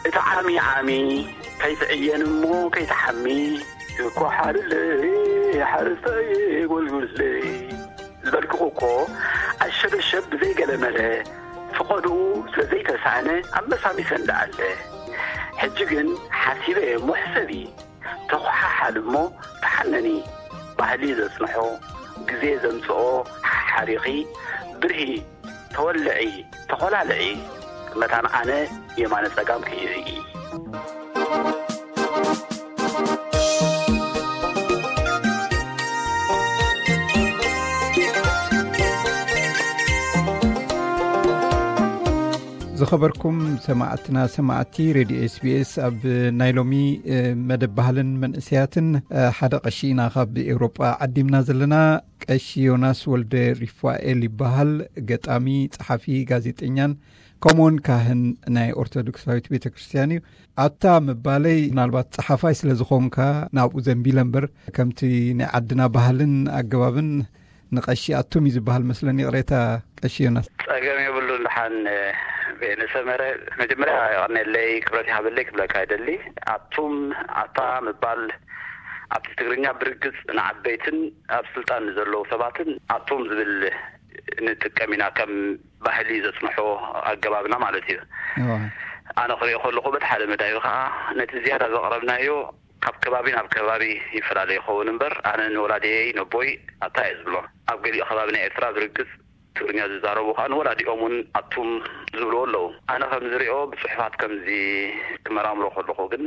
እቲ ዓሚ ዓሚ ከይትዕየን እሞ ከይትሓሚ፣ ይኳሓልለይ ሓረስታይ ጎልጉለይ ዝበልክኹ እኮ፣ ኣሸበሸብ ብዘይገለመለ፣ ፍቐድኡ ስለ ዘይተሳእነ ኣመሳሚሰ እንዳኣለ። ሕጂ ግን ሓሲበ እሞ ሕሰቢ፣ ተኹሓሓል እሞ ተሓነኒ። ባህሊ ዘጽንሖ፣ ግዜ ዘምጽኦ ሓሓሪኺ፣ ብርሂ ተወልዒ፣ ተኾላልዒ፣ መታን ኣነ የማነ ጸጋም ከይርኢ። ዝኸበርኩም ሰማዕትና፣ ሰማዕቲ ሬድዮ ኤስቢኤስ፣ ኣብ ናይ ሎሚ፣ እ፣ መደብ ባህልን መንእሰያትን፣ እ፣ ሓደ ቀሺ ኢና ካብ ኤውሮጳ ዓዲምና ዘለና። ቀሺ ዮናስ ወልደ ሪፋኤል ይበሃል። ገጣሚ፣ ጸሓፊ፣ ጋዜጠኛን ከምኡውን ካህን ናይ ኦርቶዶክሳዊት ቤተ ክርስቲያን እዩ። ኣታ ምባለይ ምናልባት ጸሓፋይ ስለ ዝኾንካ ናብኡ ዘንቢለ እምበር፣ ከምቲ ናይ ዓድና ባህልን ኣገባብን ንቐሺ ኣቱም እዩ ዝበሃል መስለኒ። ይቕሬታ ቀሺ ዮናስ። ጸገም የብሉን። ደሓን ቤነ ሰመረ፣ መጀመርያ የቐንየለይ፣ ክብረት ይሃበለይ ክብለካ ይደሊ። ኣቱም፣ ኣታ ምባል ኣብቲ ትግርኛ ብርግጽ ንዓበይትን ኣብ ስልጣን ንዘለዉ ሰባትን ኣቱም ዝብል ንጥቀም ኢና፣ ከም ባህሊ ዘጽንሖ ኣገባብና ማለት እዩ። እዋ። ኣነ ክሪኦ ከለኹ በቲ ሓደ መዳዩ ከኣ ነቲ ዝያዳ ዘቕረብናዮ ካብ ከባቢ ናብ ከባቢ ይፈላለ ይኸውን እምበር፣ ኣነ ንወላዲየይ ነቦይ ኣታ እየ ዝብሎ። ኣብ ገሊኡ ከባቢ ናይ ኤርትራ ብርግጽ ትግርኛ ዝዛረቡ ከኣ ንወላዲኦም እውን ኣቱም ዝብልዎ ኣለዉ። ኣነ ከም ዝሪኦ ብጽሑፋት ከምዚ ክመራምሮ ከለኹ ግን፣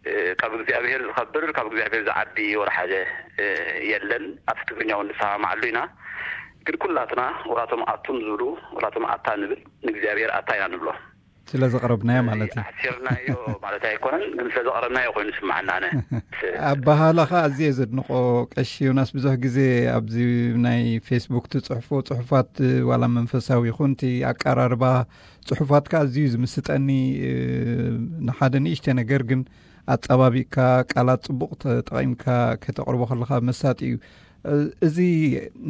እ፣ ካብ እግዚኣብሔር ዝኸብር፣ ካብ እግዚኣብሔር ዝዓቢ ወላ ሓደ፣ እ፣ የለን። ኣብቲ ትግርኛ እውን ንሰማማዓሉ ኢና። ግን ኩላትና ወላቶም ኣቱም ዝብሉ፣ ወላቶም ኣታ ንብል፣ ንእግዚኣብሔር ኣታ ኢና ንብሎ። ስለ ዘቕረብናዮ ማለት እዩ። ኣሕሲርናዮ ማለት ኣይኮነን፣ ግን ስለ ዘቕረብናዮ ኮይኑ ይስምዓና ኣነ። ኣበሃህላኻ ኣዝየ ዘድንቖ ቀሺ ዮናስ፣ ብዙሕ ግዜ ኣብዚ ናይ ፌስቡክ ትጽሕፎ ጽሑፋት፣ ዋላ መንፈሳዊ ይኹን እቲ ኣቀራርባ ጽሑፋትካ ኣዝዩ ዝምስጠኒ፣ እ፣ ንሓደ ንእሽተ ነገር ግን ኣጸባቢቕካ፣ ቃላት ጽቡቕ ተጠቒምካ ከተቕርቦ ከለኻ መሳጢ እዩ። እ፣ እዚ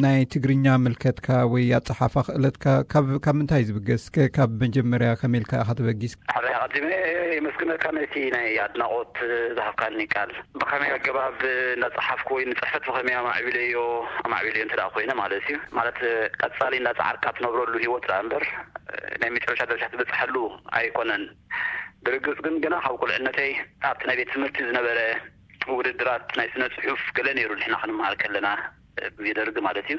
ናይ ትግርኛ ምልከትካ ወይ ኣጸሓሕፋ ክእለትካ ካብ፣ ካብ ምንታይ እዩ ዝብገስ? እስከ ካብ መጀመርያ ከመይ ኢልካ ኢኻ ተበጊስ? ሓደ ኣቐዲመ የመስግነካ ነቲ ናይ ኣድናቖት ዝሃብካኒ ቃል። ብኸመይ ኣገባብ እንዳጸሓፍኩ ወይ ንጽሕፈት ብኸመይ ኣማዕቢለዮ፣ ኣማዕቢለዮ እንተ ደኣ ኮይነ ማለት እዩ። ማለት ቀጻሊ እንዳጸዓርካ ትነብረሉ ህይወት ደኣ እምበር ናይ መጨረሻ ደረጃ ትበጽሓሉ ኣይኮነን። ብርግጽ ግን ገና ካብ ቁልዕነተይ ኣብቲ ናይ ቤት ትምህርቲ ዝነበረ ውድድራት ናይ ስነ ጽሑፍ ገለ ነይሩ፣ ንሕና ክንመሃር ከለና፣ ግዜ ደርጊ ማለት እዩ።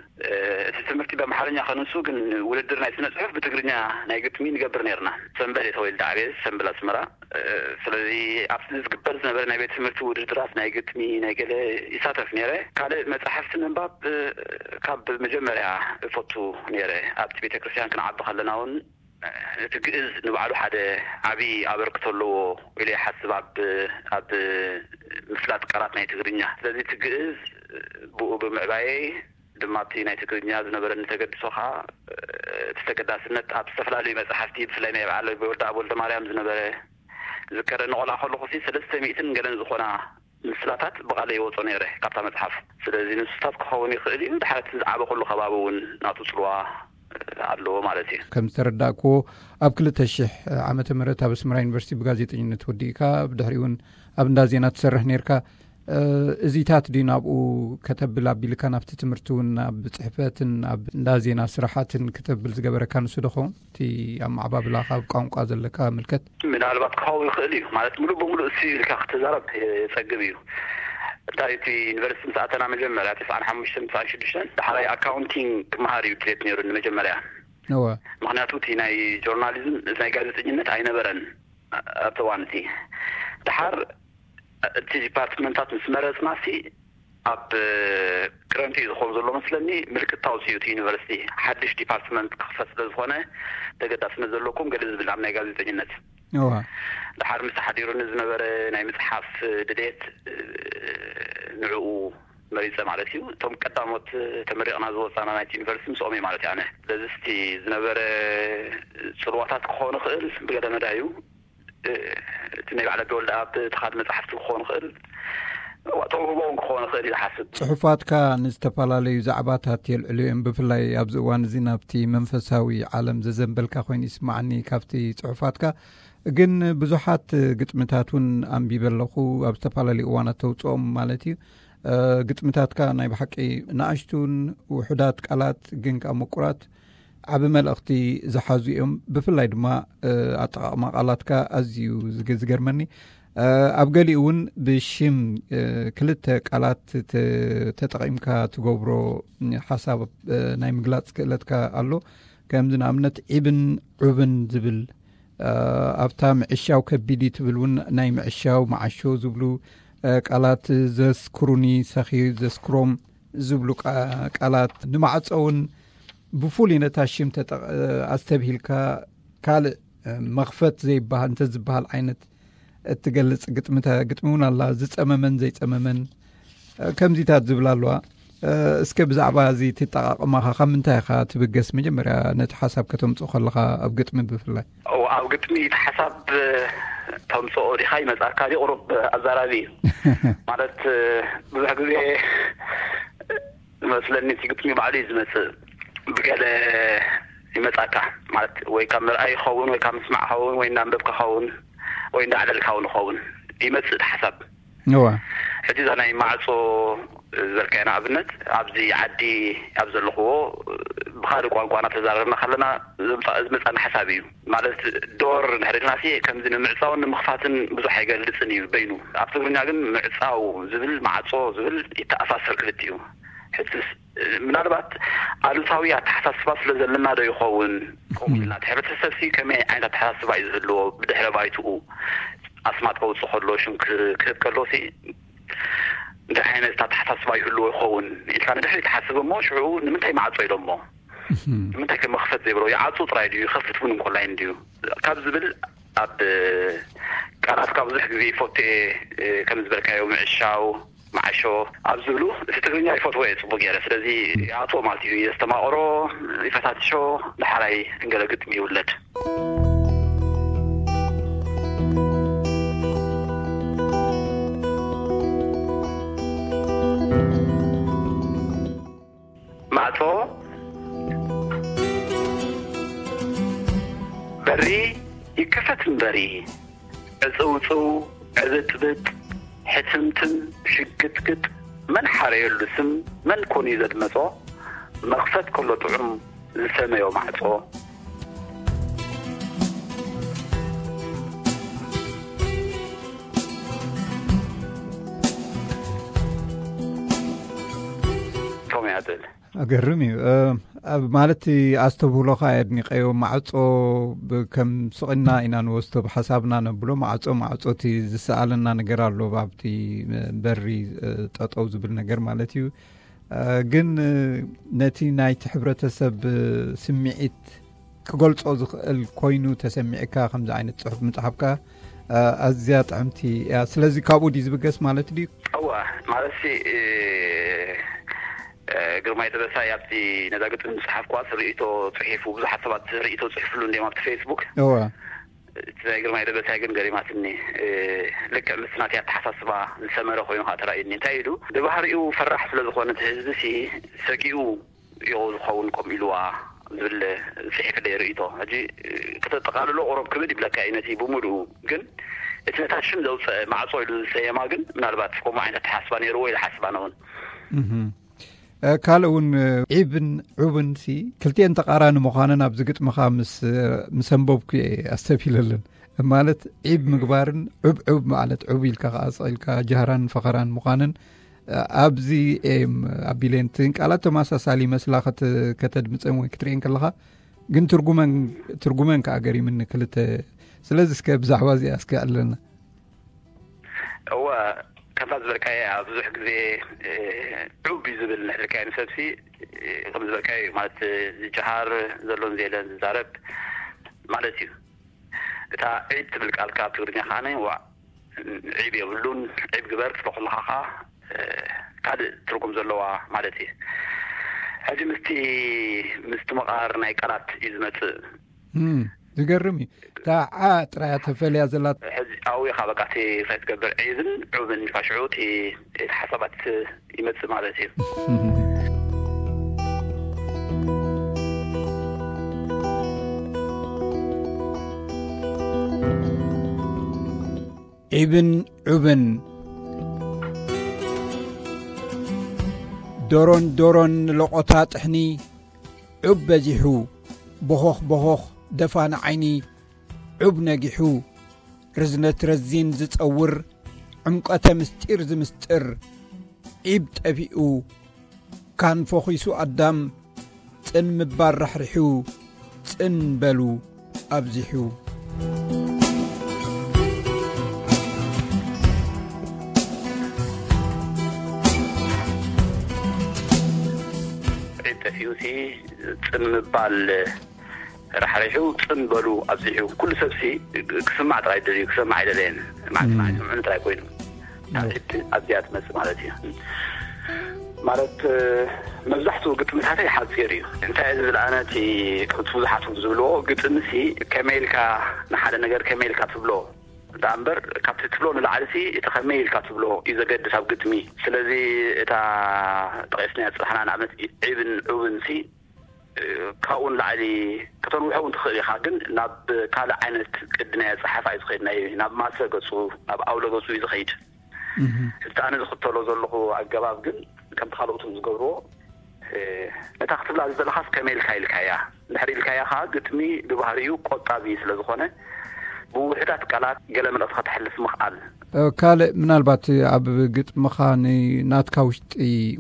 እቲ ትምህርቲ ብኣምሓርኛ ከንሱ ግን ውድድር ናይ ስነ ጽሑፍ ብትግርኛ ናይ ግጥሚ ንገብር ነይርና። ሰምበል እየ ተወሊደ ዓብየ፣ ሰምበል ኣስመራ። ስለዚ ኣብቲ ዝግበር ዝነበረ ናይ ቤት ትምህርቲ ውድድራት ናይ ግጥሚ ናይ ገለ ይሳተፍ ነይረ። ካልእ መጻሕፍቲ ምንባብ ካብ መጀመርያ እፈቱ ነይረ። ኣብቲ ቤተክርስትያን ክንዓቢ ከለና እውን እቲ ግእዝ ንባዕሉ ሓደ ዓቢ ኣበርክቶ ኣለዎ ኢለ ይሓስብ ኣብ፣ ኣብ ምፍላጥ ቃላት ናይ ትግርኛ። ስለዚ እቲ ግእዝ ብኡ ብምዕባየይ ድማ እቲ ናይ ትግርኛ ዝነበረኒ ተገድሶ ኸኣ እቲ ተገዳስነት ኣብ ዝተፈላለዩ መጻሕፍቲ ብፍላይ ናይ በዓል ወልደኣብ ወልደማርያም ዝነበረ ዝከረ ንቆልዓ ከለኹሲ ሰለስተ ሚእትን ገለን ዝኾና ምስላታት ብቓለይ ይወጾ ነይረ ካብታ መጽሓፍ። ስለዚ ንሱታት ክኸውን ይኽእል እዩ። ድሓር እቲ ዝዓበኹሉ ከባቢ እውን ናቱ ጽልዋ ኣለዎ ማለት እዩ። ከም ዝተረዳእክዎ ኣብ ክልተ ሽሕ ዓመተ ምህረት ኣብ ኣስመራ ዩኒቨርሲቲ ብጋዜጠኝነት ወዲእካ ብድሕሪኡ እውን ኣብ እንዳ ዜና ትሰርሕ ነይርካ። እዚታት ድዩ ናብኡ ከተብል ኣቢልካ ናብቲ ትምህርቲ እውን ኣብ ጽሕፈትን ኣብ እንዳ ዜና ስራሓትን ከተብል ዝገበረካ ንሱ ዶ ኸውን? እቲ ኣመዓባብላኻ ኣብ ቋንቋ ዘለካ ምልከት? ምናልባት ክኸውን ይኽእል እዩ። ማለት ምሉእ ብምሉእ እሱ ኢልካ ክትዛረብ የጸግም እዩ። እንታይ እቲ ዩኒቨርሲቲ ምስ ኣተና መጀመርያ ተስዓን ሓሙሽተን ተስዓን ሽዱሽተን ዳሕራይ ኣካውንቲንግ ክመሃር እዩ ድሌት ነይሩ ንመጀመርያ። እወ። ምኽንያቱ እቲ ናይ ጆርናሊዝም፣ ናይ ጋዜጠኝነት ኣይነበረን ኣብቲ እዋን እቲ። ድሓር እቲ ዲፓርትመንታት ምስ መረጽናሲ ኣብ ክረምቲ እዩ ዝኸውን ዘሎ መስለኒ፣ ምልክት ኣውጺኡ እቲ ዩኒቨርሲቲ ሓድሽ ዲፓርትመንት ክኽፈት ስለ ዝኾነ ተገዳስነት ዘለኩም ገለ ዝብል ኣብ ናይ ጋዜጠኝነት። እዋ። ድሓር ምስ ተሓዲሩኒ ዝነበረ ናይ ምጽሓፍ ድሌት፣ ንዕኡ መሪጸ ማለት እዩ። እቶም ቀዳሞት ተመሪቕና ዝወጻና ናይቲ ዩኒቨርሲቲ ምስኦም እየ ማለት እዩ ኣነ። ስለዚ እስቲ ዝነበረ ጽልዋታት ክኸውን ይኽእል ብገለ መዳዩ፣ እቲ ናይ በዓል ኣቢ ወልደኣብ እቲ ካልእ መጽሓፍቲ ክኸውን ይኽእል። ተውህቦ እውን ክኾን ይኽእል እዩ ዝሓስብ። ጽሑፋትካ ንዝተፈላለዩ ዛዕባታት የልዕሉ እዮም። ብፍላይ ኣብዚ እዋን እዚ ናብቲ መንፈሳዊ ዓለም ዘዘንበልካ ኮይኑ ይስማዓኒ ካብቲ ጽሑፋትካ። ግን ብዙሓት ግጥምታት እውን ኣንቢበ ኣለኹ፣ ኣብ ዝተፈላለዩ እዋናት ተውጽኦም ማለት እዩ። ግጥምታትካ ናይ ብሓቂ ንኣሽቱን ውሑዳት ቃላት ግን ከዓ ምቁራት ዓቢ መልእኽቲ ዝሓዙ እዮም። ብፍላይ ድማ ኣጠቓቕማ ቃላትካ ኣዝዩ ዝገርመኒ። ኣብ ገሊኡ እውን ብሽም ክልተ ቃላት ተጠቒምካ ትገብሮ ሓሳብ ናይ ምግላፅ ክእለትካ ኣሎ። ከምዚ ንኣብነት ዒብን ዑብን ዝብል፣ ኣብታ ምዕሻው ከቢድ እዩ ትብል እውን ናይ ምዕሻው መዓሾ ዝብሉ ቃላት፣ ዘስክሩኒ ሰኺ ዘስክሮም ዝብሉ ቃላት፣ ንማዕጾ እውን ብፍሉይ ነታ ሽም ኣስተብሂልካ ካልእ መኽፈት ዘይበሃል እንተ ዝበሃል ዓይነት እትገልጽ ግጥሚ እውን ኣላ። ዝጸመመን ዘይጸመመን ከምዚታት ዝብል ኣለዋ። እስከ ብዛዕባ እዚ ትጠቓቕማኻ ካብ ምንታይ ኢኻ ትብገስ? መጀመርያ ነቲ ሓሳብ ከተምጽኦ ከለኻ ኣብ ግጥሚ ብፍላይ። ኣብ ግጥሚ እቲ ሓሳብ ተምጽኦ ዲኻ ይመጻካ ዲ ቁሩብ ኣዛራቢ እዩ። ማለት ብዙሕ ግዜ መስለኒ እቲ ግጥሚ ባዕሉ እዩ ዝመጽእ። ብገለ ይመጻካ ማለት ወይ ካብ ምርኣይ ይኸውን ወይ ካብ ምስማዕ ይኸውን ወይ እናንበብካ ይኸውን ወይ እንዳዕለልካ እውን ይኸውን ይመጽእ እቲ ሓሳብ። እዋ ሕጂ እዛ ናይ ማዕጾ ዝበልካዮ ንኣብነት ኣብዚ ዓዲ ኣብ ዘለኽዎ ብኻልእ ቋንቋ እናተዛረብና ከለና ዝመጻና ሓሳብ እዩ። ማለት ዶር እንድሕር ኢልና ከምዚ ንምዕጻውን ንምኽፋትን ብዙሕ ኣይገልጽን እዩ በይኑ። ኣብ ትግርኛ ግን ምዕጻው ዝብል ማዕጾ ዝብል ይተኣሳሰር ክልቲኡ። ሕጅስ ምናልባት ኣሉታዊ ኣተሓሳስባ ስለ ዘለና ዶ ይኸውን? ከምኡ ኢልና እቲ ሕብረተሰብ ሲ ከመይ ዓይነት ኣተሓሳስባ እዩ ዝህልዎ? ብድሕረ ባይትኡ ኣስማት ከውፅእ ከሎ ሽም ክህብ ከሎ ሲ እንታይ ዓይነት ኣተሓሳስባ ይህልዎ ይኸውን ኢልካ ንድሕሪ ትሓስብ እሞ ሽዑ ንምንታይ ማዕጾ ኢሎሞ? ንምንታይ ከ መኽፈት ዘይብሎ? ይዓጹ ጥራይ ድዩ ይኸፍት እውን እንኮላይን ድዩ ካብ ዝብል ኣብ ቃላትካ ብዙሕ ግዜ ይፈቱ እየ። ከም ዝበልካዮ ምዕሻው መዓሾ ኣብ ዝብሉ እቲ ትግርኛ ይፈትዎ እየ ጽቡቅ ገይረ። ስለዚ ይኣትዎ ማለት እዩ። የስተማቕሮ፣ ይፈታትሾ፣ ዳሕራይ እንገለ ግጥሚ ይውለድ። ማዕጾ በሪ ይከፈት እምበሪ ዕጽውጽው ዕብጥብጥ ሕትምትም ሽግጥግጥ መን ሓረየሉ ስም መን ኮን እዩ ዘድመጾ መኽፈት ከሎ ጥዑም ዝሰመዮ ማዕጾ። ከምኡ እያ ትብል። ኣገርም እዩ። ማለት ኣስተብህሎኻ የድኒቀዮ። ማዕጾ ከም ስቕና ኢና ንወስዶ ብሓሳብና ነብሎ። ማዕጾ ማዕጾ እቲ ዝሰኣለና ነገር ኣሎ ኣብቲ በሪ ጠጠው ዝብል ነገር ማለት እዩ። ግን ነቲ ናይቲ ሕብረተሰብ ስምዒት ክገልጾ ዝኽእል ኮይኑ ተሰሚዕካ ከምዚ ዓይነት ጽሑፍ ምጽሓፍካ ኣዝያ ጥዕምቲ እያ። ስለዚ ካብኡ ድዩ ዝብገስ ማለት ድዩ? እወ፣ ማለት ግርማይ ደበሳይ ኣብቲ ነዛ ግጥሚ ዝጸሓፍኩዋ ርእይቶ ጽሒፉ፣ ብዙሓት ሰባት ርእይቶ ጽሒፍሉ እንዲዮም ኣብቲ ፌስቡክ። እወ። እቲ ናይ ግርማይ ደበሳይ ግን ገሪማትኒ። ልክዕ ምስ ናተይ ኣተሓሳስባ ዝሰመረ ኮይኑ ከዓ ተራእዩኒ። እንታይ ኢሉ ብባህሪኡ ፈራሕ ስለ ዝኾነ እቲ ህዝቢ ሲ ሰጊኡ ይኸው ዝኸውን ከምኡ ኢልዋ ዝብል ጽሒፍለይ ርእይቶ። ሕጂ ክተጠቓልሎ ቁሩብ ክብድ ይብለካ እዩ ነቲ ብምሉኡ። ግን እቲ ነታ ሽም ዘውፀአ ማዕጾ ኢሉ ዝሰየማ ግን ምናልባት ከምኡ ዓይነት ኣተሓስባ ነይርዎ ኢለ ሓስብ ኣነ እውን። ካልእ እውን ዒብን ዑብን ሲ ክልቲኤን ተቓራኒ ምዃነን ኣብዚ ግጥምኻ ምስ ምስ ኣንበብኩ እየ ኣስተብሂለለን። ማለት ዒብ ምግባርን ዑብ ዑብ ማለት ዑብ ኢልካ ከዓ ስቕ ኢልካ ጃህራን ፈኸራን ምዃንን ኣብዚ እየ ኣቢለየን። እተን ቃላት ተመሳሳሊ ይመስላ ከተድምፀን ወይ ክትርእየን ከለኻ፣ ግን ትርጉመን ትርጉመን ከዓ ገሪምኒ ክልተ። ስለዚ እስከ ብዛዕባ እዚኣ እስከ ኣዕልለና። እወ፣ ከምታ ዝበልካዮ ኣብ ብዙሕ ግዜ ዑብ እዩ ዝብል ንሕልካዮ ንሰብሲ ከም ዝበልካዮ ማለት ዝጀሃር ዘሎን ዘየለን ዝዛረብ ማለት እዩ። እታ ዒብ ትብል ቃል ካብ ትግርኛ ከዓኒ ዋዕ ዒብ የብሉን። ዒብ ግበር ትብሎ ከለኻ ከዓ ካልእ ትርጉም ዘለዋ ማለት እዩ። ሕጂ ምስቲ ምስቲ መቓር ናይ ቃላት እዩ ዝመጽእ። ዝገርም እዩ። እታ ዓ ጥራያ ተፈልያ ዘላ። ሕዚ ኣብኡ ኢኻ በቃ እቲ እንታይ ትገብር፣ ዒብን ዑብን ኢልካ ሽዑ እቲ እቲ ሓሳባት ይመጽእ ማለት እዩ። ዒብን ዑብን፣ ዶሮን ዶሮን፣ ለቖታ ጥሕኒ፣ ዑብ በዚሑ፣ ቦኾኽ ቦኾኽ፣ ደፋን ዓይኒ፣ ዑብ ነጊሑ፣ ርዝነት ረዚን ዝጸውር፣ ዕምቀተ ምስጢር ዝምስጥር፣ ዒብ ጠፊኡ፣ ካን ፈኺሱ ኣዳም፣ ጽን ምባል ራሕሪሑ፣ ጽን በሉ ኣብዚሑ። ዒብ ጠፊኡሲ ጽን ምባል ራሕሪሑ ጽን በሉ ኣብዚሑ። ኩሉ ሰብሲ ክስማዕ ጥራይ ደልዩ፣ ክሰማዕ ኣይደለየን። ማዕት ማዕት ስምዑኒ ጥራይ ኮይኑ። ኣብዚኣ ትመጽእ ማለት እዩ። ማለት፣ መብዛሕትኡ ግጥምታተይ ሓጺር እዩ። እንታይ ዝብል ኣነ እቲ ከምቲ ብዙሓት ዝብልዎ፣ ግጥምሲ ከመይ ኢልካ ንሓደ ነገር ከመይ ኢልካ ትብሎ፣ ደኣ እምበር ካብቲ ትብሎ ንላዕልሲ እቲ ከመይ ኢልካ ትብሎ እዩ ዘገድስ ኣብ ግጥሚ። ስለዚ እታ ጠቒስናያ ዝጸናሕና ንኣብነት ዒብን ዑብንሲ ካብኡ ንላዕሊ ከተንውሖ እውን ትኽእል ኢኻ፣ ግን ናብ ካልእ ዓይነት ቅዲ ናይ ኣጸሓሕፋ እዩ ዝኸይድ። ናይ ናብ ማሰ ገጹ፣ ናብ ኣውሎ ገጹ እዩ ዝኸይድ። እህ። እቲ ኣነ ዝኽተሎ ዘለኹ ኣገባብ ግን ከምቲ ካልኦትም ዝገብርዎ፣ ነታ ክትብላ ዝደለኻስ ከመይ ኢልካ ኢልካያ፣ እንድሕር ኢልካያ ኸዓ ግጥሚ ብባህሪኡ ቆጣቢ ስለ ዝኾነ ብውሑዳት ቃላት ገለ መልእኽቲ ከተሕልፍ ምኽኣል። ካልእ ምናልባት ኣብ ግጥምኻ ንናትካ ውሽጢ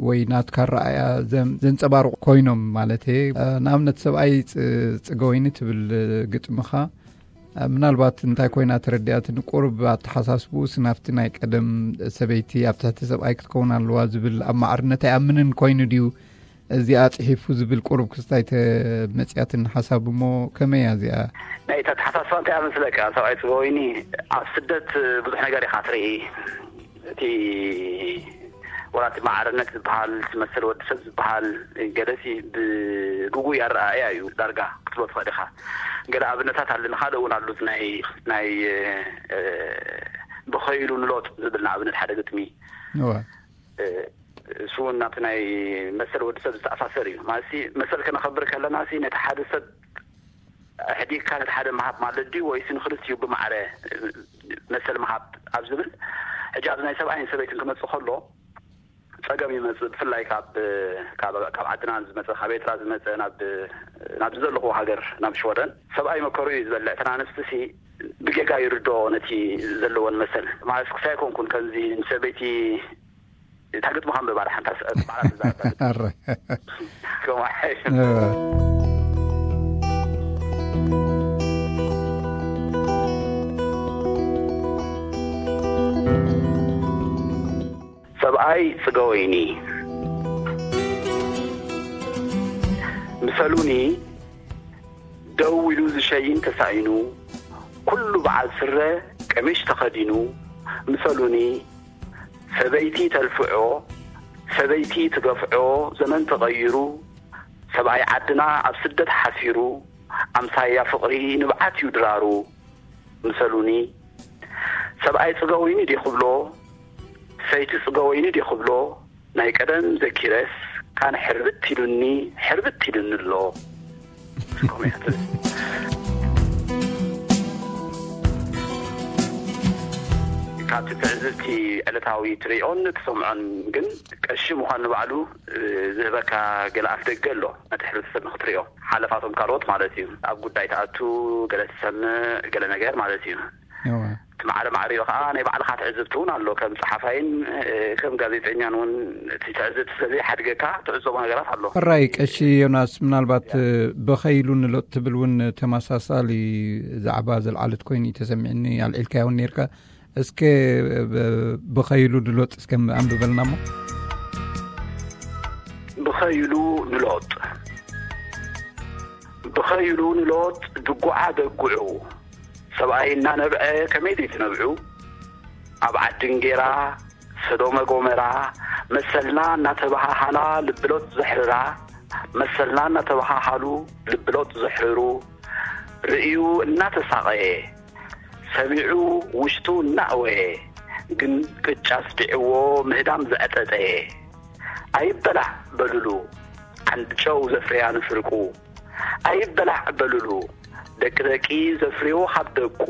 ወይ ናትካ ረኣያ ዘንጸባርቑ ኮይኖም ማለት እየ። ንኣብነት ሰብኣይ ጽገወይኒ ትብል ግጥምኻ፣ ምናልባት እንታይ ኮይና ተረዲኣትኒ፣ ቁሩብ ኣተሓሳስብኡስ ናብቲ ናይ ቀደም ሰበይቲ ኣብ ትሕቲ ሰብኣይ ክትከውን ኣለዋ ዝብል ኣብ ማዕርነት ኣይኣምንን ኮይኑ ድዩ? እዚኣ ጽሒፉ ዝብል ቁሩብ ክስታይ ተመጽያትን ሓሳብ እሞ ከመይ እያ እዚኣ? ናይ ተተሓሳስባ እንታይ እያ መስለካ? ሰብኣይ ጽበወይኒ ኣብ ስደት ብዙሕ ነገር ኢኻ ትርኢ። እቲ ወላ እቲ ማዕርነት ዝበሃል፣ እቲ መሰል ወዲ ሰብ ዝበሃል ገለሲ ብግጉይ ኣረኣእያ እዩ ዳርጋ ክትብሎ ትኽእል ኢኻ። ገለ ኣብነታት ኣለኒ፣ ካልእ እውን ኣሉት ናይ ናይ ብኸይሉ ንሎጥ ዝብል ንኣብነት ሓደ ግጥሚ። እሱ እውን ናብቲ ናይ መሰል ወዲ ሰብ ዝተኣሳሰር እዩ። ማለት መሰል ከነኸብር ከለና ነቲ ሓደ ሰብ ኣሕዲግካ ነቲ ሓደ ምሃብ ማለት ድዩ ወይስ ንክልቲኡ ብማዕረ መሰል ምሃብ ኣብ ዝብል? ሕጂ ኣብዚ ናይ ሰብኣይን ሰበይትን ክመጽእ ከሎ ጸገም ይመጽእ። ብፍላይ ካብ ዓድና ዝመጸ፣ ካብ ኤርትራ ዝመጸ ናብ ዘለኹ ሃገር ናብ ሽወደን ሰብኣይ መከሩ እዩ ዝበልዕ። እተን ኣንስትሲ ብጌጋ ይርድኦ ነቲ ዘለወን መሰል። ማለት ክሳይ ኣይኮንኩን ከምዚ ንሰበይቲ እታ ግጥሚ ከንብባ ደሓን እታ ሰ- ባዕላ ትዛረብ። ከምኡ ሓይሽ። ሰብኣይ ጽገወይኒ ምሰሉኒ ደው ኢሉ ዝሸይን ተሳኢኑ፣ ኩሉ በዓል ስረ ቀሚሽ ተኸዲኑ፣ ምሰሉኒ ሰበይቲ ተልፍዖ፣ ሰበይቲ ትገፍዖ፣ ዘመን ተቐይሩ፣ ሰብኣይ ዓድና ኣብ ስደት ሓሲሩ፣ ኣምሳያ ፍቕሪ ንብዓት እዩ ድራሩ። ምሰሉኒ ሰብኣይ ጽገወይኒ ድየ ክብሎ፣ ሰይቲ ጽገወይኒ ድየ ክብሎ፣ ናይ ቀደም ዘኪረስ ካን ሕርብት ኢሉኒ፣ ሕርብት ኢሉኒ ኣሎ። ከምኡ እያ ትብል። ካብቲ ትዕዝብቲ ዕለታዊ ትሪኦን ትሰምዖን ግን ቀሺ ምዃን ንባዕሉ ዝህበካ ገለ ኣፍ ደገ ኣሎ። ነቲ ሕብረተሰብ ንክትሪኦ ሓለፋቶም ካልኦት ማለት እዩ። ኣብ ጉዳይ ትኣቱ፣ ገለ ትሰምዕ፣ ገለ ነገር ማለት እዩ። እወ። እቲ ማዕረ ማዕሪኡ ከዓ ናይ ባዕልኻ ትዕዝብቲ እውን ኣሎ። ከም ጸሓፋይን ከም ጋዜጠኛን እውን እቲ ትዕዝብቲ ስለዘይሓድገካ ትዕዘቦ ነገራት ኣሎ። ሕራይ ቀሺ ዮናስ፣ ምናልባት ብኸይሉ ንሎጥ ትብል እውን ተመሳሳሊ ዛዕባ ዘልዓለት ኮይኑ እዩ ተሰሚዕኒ። ኣልዒልካዮ እውን ነይርካ። እስከ ብኸይሉ ንሎጥ እስከ ኣንብበልና እሞ። ብኸይሉ ንሎጥ። ብኸይሉ ንሎጥ ድጉዓ ደግዑ። ሰብኣይ እናነብዐ ከመይ ዘይትነብዑ? ኣብ ዓዲ እንጌራ፣ ሰዶመ ጎመራ፣ መሰልና እናተበሃሃላ ልብሎጥ ዘሕርራ፣ መሰልና እናተበሃሃሉ ልብሎጥ ዘሕርሩ፣ ርእዩ እናተሳቐየ፣ ሰሚዑ ውሽጡ እናእወየ፣ ግን ቅጫ ኣስቢዕዎ ምህዳም ዘዕጠጠየ። ኣይበላዕ በሉሉ ዓንዲ ጨው ዘፍርያ ንፍርቁ። ኣይበላዕ በሉሉ ደቂ ደቂ ዘፍርዮ ካብ ደቁ።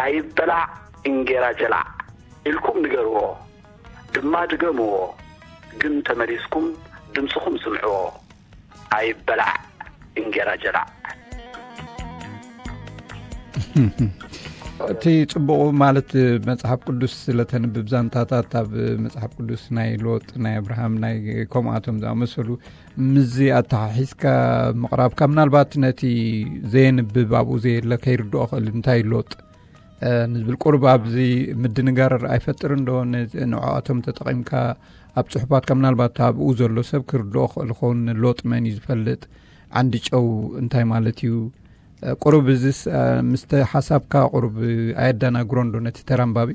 ኣይበላዕ እንጌራ ጀላዕ ኢልኩም ንገርዎ፣ ድማ ድገምዎ፣ ግን ተመሊስኩም ድምፅኹም ስምዕዎ። ኣይበላዕ እንጌራ ጀላዕ። እቲ ጽቡቑ ማለት መጽሓፍ ቅዱስ ስለተንብብ ዛንታታት ኣብ መጽሓፍ ቅዱስ ናይ ሎጥ፣ ናይ ኣብርሃም፣ ናይ ከምኣቶም ዝኣመሰሉ ምስዚ ኣተሓሒዝካ ምቕራብካ ምናልባት ነቲ ዘየንብብ ኣብኡ ዘየለ ከይርድኦ ክእል እንታይ ሎጥ ንዝብል ቁርብ ኣብዚ ምድንጋር ኣይፈጥርን ዶ? ንዕኣቶም ተጠቒምካ ኣብ ጽሑፋትካ ምናልባት ኣብኡ ዘሎ ሰብ ክርድኦ ክእል ኸውን ሎጥ መን እዩ ዝፈልጥ? ዓንዲ ጨው እንታይ ማለት እዩ? ቁሩብ እዚስ ምስተ ሓሳብካ ቁሩብ ኣየዳናግሮን ዶ ነቲ ተራንባቢ?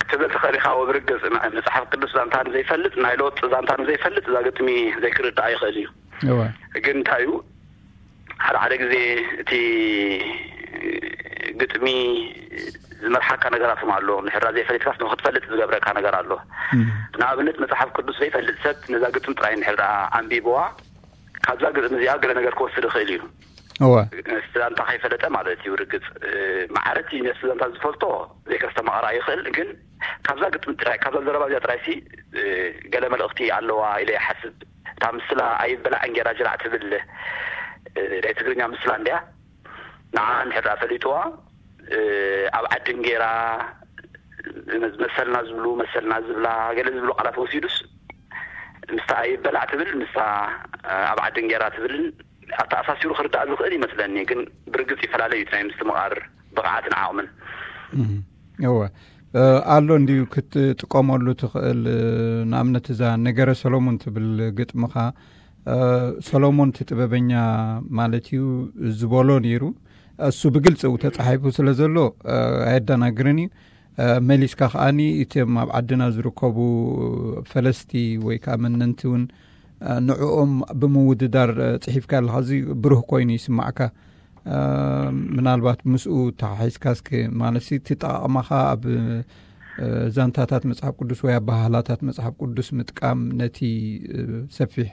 ክትብል ትኽእል ኢኻ። ወብርግጽ መጽሓፍ ቅዱስ ዛንታ ንዘይፈልጥ ናይ ሎጥ ዛንታ ንዘይፈልጥ እዛ ግጥሚ ዘይክርዳኣ ይኽእል እዩ። ግን እንታይ እዩ ሓደ ሓደ ግዜ እቲ ግጥሚ ዝመርሓካ ነገራት ኣሎ። ንሕራ ዘይፈሊጥካስ ንክትፈልጥ ዝገብረካ ነገር ኣሎ። ንኣብነት መፅሓፍ ቅዱስ ዘይፈልጥ ሰብ ነዛ ግጥሚ ጥራይ ንሕራ ኣንቢብዋ ካብዛ ግጥሚ እዚኣ ገለ ነገር ክወስድ ይኽእል እዩ። እወ። ነቲ ዛንታ ከይፈለጠ ማለት እዩ። ርግፅ ማዕረቲ ነቲ ዛንታ ዝፈልጦ ዘይከስተማቕራ ይኽእል፣ ግን ካብዛ ግጥሚ ጥራይ ካብዛ ዘረባ እዚኣ ጥራይ ሲ ገለ መልእኽቲ ኣለዋ ኢለ ይሓስብ። እታ ምስላ ኣይበላዕ እንጌራ ጅራዕ ትብል ናይ ትግርኛ ምስላ እንድያ። ንዓ እንድሕር ፈሊጥዋ ኣብ ዓዲ እንጌራ መሰልና ዝብሉ መሰልና ዝብላ ገለ ዝብሉ ቃላት ወሲዱስ ምስታ ኣይበላዕ ትብል ምስታ ኣብ ዓዲ እንጌራ ትብልን ኣተኣሳሲሩ ክርዳእ ዝኽእል ይመስለኒ። ግን ብርግጽ ይፈላለዩ እቲ ናይ ምስትምቓር ብቕዓትን ዓቕምን። እወ ኣሎ እንድዩ ክትጥቀመሉ ትኽእል። ንኣብነት እዛ ነገረ ሰሎሞን ትብል ግጥምኻ ሰሎሞን እቲ ጥበበኛ ማለት እዩ ዝበሎ ነይሩ። እሱ ብግልፂ ው ተፃሒፉ ስለ ዘሎ ኣየደናግርን እዩ። መሊስካ ከዓኒ እቶም ኣብ ዓድና ዝርከቡ ፈለስቲ ወይ ከዓ መነንቲ እውን ንዕኦም ብምውድዳር ፅሒፍካ ኣለካ። እዚ ብሩህ ኮይኑ ይስማዕካ። ምናልባት ምስኡ ተሓሒዝካ እስኪ ማለት ሲ እቲ ጠቃቅማኻ ኣብ ዛንታታት መፅሓፍ ቅዱስ ወይ ኣባህላታት መፅሓፍ ቅዱስ ምጥቃም ነቲ ሰፊሕ